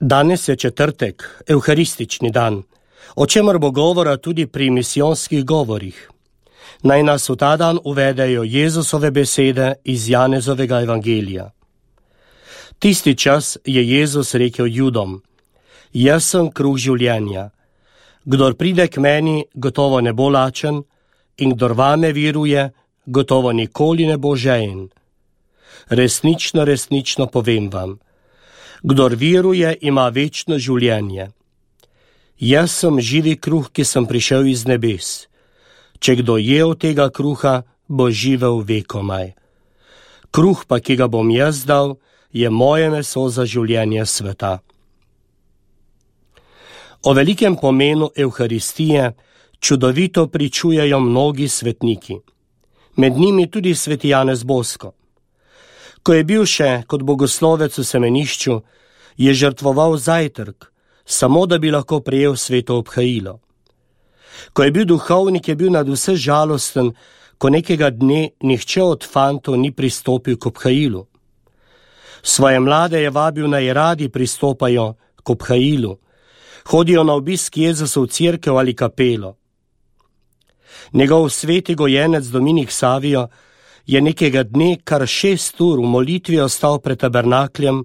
Danes je četrtek, evharistični dan, o čemer bo govora tudi pri misijonskih govorih. Naj nas v ta dan uvedejo Jezusove besede iz Janezovega evangelija. Tisti čas je Jezus rekel Judom: Jaz sem kruh življenja. Kdor pride k meni, gotovo ne bo lačen, in kdor vame viruje, gotovo nikoli ne bo žejen. Resnično, resnično povem vam, kdor viruje, ima večno življenje. Jaz sem živi kruh, ki sem prišel iz nebes. Če kdo je od tega kruha, bo živel vekomaj. Kruh pa, ki ga bom jaz dal, je moje meso za življenje sveta. O velikem pomenu evharistije čudovito pričujejo mnogi svetniki, med njimi tudi sveti Janez Bosko. Ko je bil še kot bogoslovec v semenišču, je žrtvoval zajtrk, samo da bi lahko prejel sveto obhajilo. Ko je bil duhovnik, je bil nadvse žalosten, ko nekega dne nihče od fantov ni pristopil k obhajilu. Svoje mlade je vabil, naj radi pristopajo k obhajilu, hodijo na obisk Jezusa v cerkev ali kapelo. Njegov sveti gojenec Dominik Savio je nekega dne kar 6 ur v molitvi ostal pred tabernakljem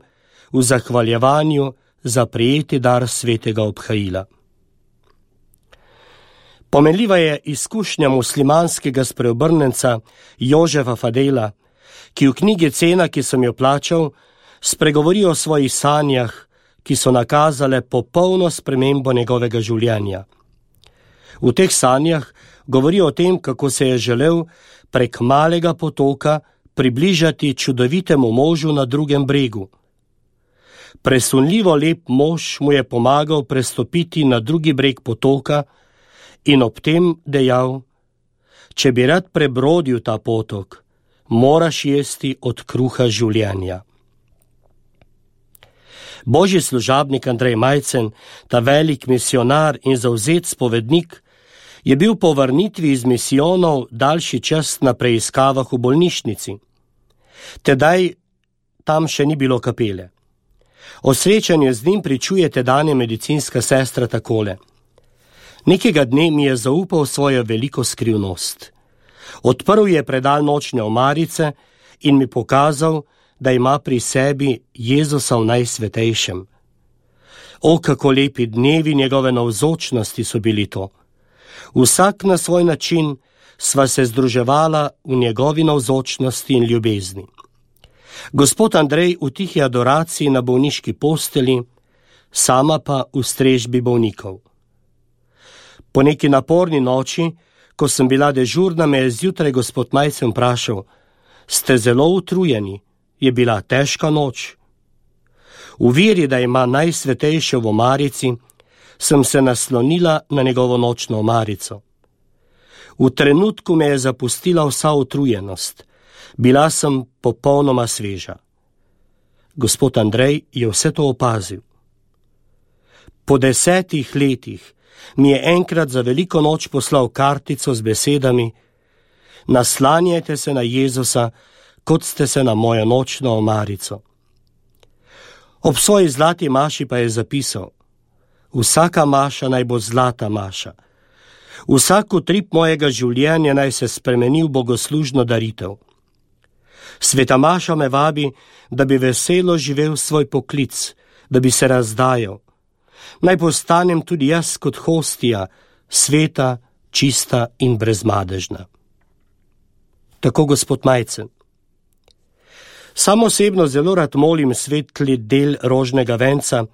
v zahvaljevanju za prejeti dar svetega obhajila. Pomenljiva je izkušnja muslimanskega spreobrnenca Jožefa Fadela, ki v knjigi Cena, ki sem jo plačal, spregovori o svojih sanjah, ki so nakazale popolno spremembo njegovega življenja. V teh sanjah govori o tem, kako se je želel prek malega potoka približati čudovitemu možu na drugem bregu. Presunljivo lep mož mu je pomagal prestopiti na drugi breg potoka in ob tem dejal: če bi rad prebrodil ta potok, moraš jesti od kruha življenja. Božji služabnik Andrej Majcen, ta velik misionar in zavzet spovednik, je bil po vrnitvi iz misijonov daljši čas na preiskavah v bolnišnici. Tedaj tam še ni bilo kapele. O srečanju z njim pričuje tedanja medicinska sestra takole: nekega dne mi je zaupal svojo veliko skrivnost. Odprl je predal nočne omarice in mi pokazal, da ima pri sebi Jezusa v najsvetejšem. O, kako lepi dnevi njegove navzočnosti so bili to. Vsak na svoj način sva se združevala v njegovi navzočnosti in ljubezni. Gospod Andrej v tihi adoraciji na bolniški posteli, sama pa v strežbi bolnikov. Po neki naporni noči, ko sem bila dežurna, me je zjutraj gospod Majcen vprašal: ste zelo utrujeni, je bila težka noč? V veri, da ima najsvetejše v omarici, sem se naslonila na njegovo nočno omarico. V trenutku me je zapustila vsa utrujenost. Bila sem popolnoma sveža. Gospod Andrej je vse to opazil. Po 10 letih mi je enkrat za veliko noč poslal kartico z besedami: naslanjajte se na Jezusa, kot ste se na mojo nočno omarico. Ob svoji zlati maši pa je zapisal: vsaka maša naj bo zlata maša. Vsak utrip mojega življenja naj se spremeni v bogoslužno daritev. Sveta maša me vabi, da bi veselo živel svoj poklic, da bi se razdajal. Naj postanem tudi jaz kot hostija, sveta, čista in brezmadežna. Tako gospod Majcen. Sam osebno zelo rad molim svetli del rožnega venca,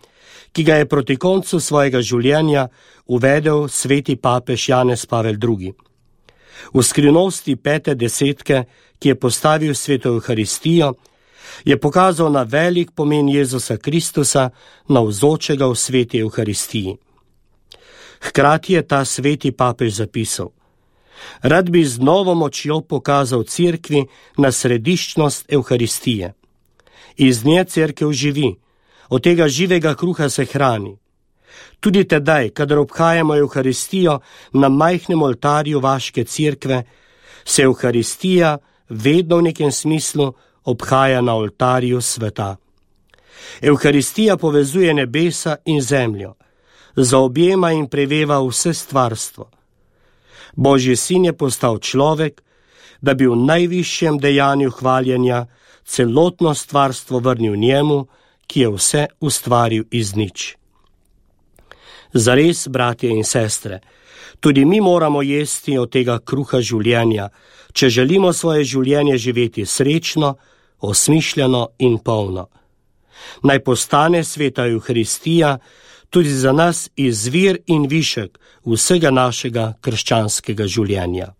ki ga je proti koncu svojega življenja uvedel sveti papež Janez Pavel II. V skrivnosti 5. desetke, ki je postavil sveto evharistijo, je pokazal na velik pomen Jezusa Kristusa, navzočega v sveti evharistiji. Hkrati je ta sveti papež zapisal: rad bi z novo močjo pokazal cerkvi na središčnost evharistije. Iz nje cerkev živi, od tega živega kruha se hrani. Tudi tedaj, kadar obhajamo evharistijo na majhnem oltarju vaške cerkve, se evharistija vedno v nekem smislu obhaja na oltarju sveta. Evharistija povezuje nebesa in zemljo, zaobjema in preveva vse stvarstvo. Božji sin je postal človek, da bi v najvišjem dejanju hvaljenja celotno stvarstvo vrnil njemu, ki je vse ustvaril iz nič. Zares, bratje in sestre, tudi mi moramo jesti od tega kruha življenja, če želimo svoje življenje živeti srečno, osmišljeno in polno. Naj postane sveta Evharistija tudi za nas izvir in višek vsega našega krščanskega življenja.